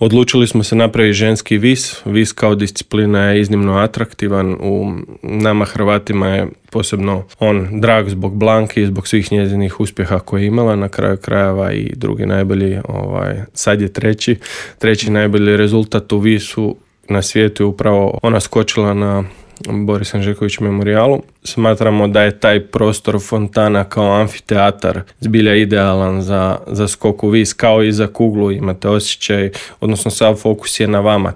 Odlučili smo se napraviti ženski vis. Vis kao disciplina je iznimno atraktivan. U nama Hrvatima je posebno on drag zbog Blanki i zbog svih njezinih uspjeha koje je imala. Na kraju krajeva i drugi najbolji, sad je treći najbolji rezultat u visu na svijetu je upravo ona skočila na Boris Anžeković memorijalu. Smatramo da je taj prostor fontana kao amfiteatar zbilja idealan za skok u vis, kao i za kuglu. Imate osjećaj, odnosno sav fokus je na vama.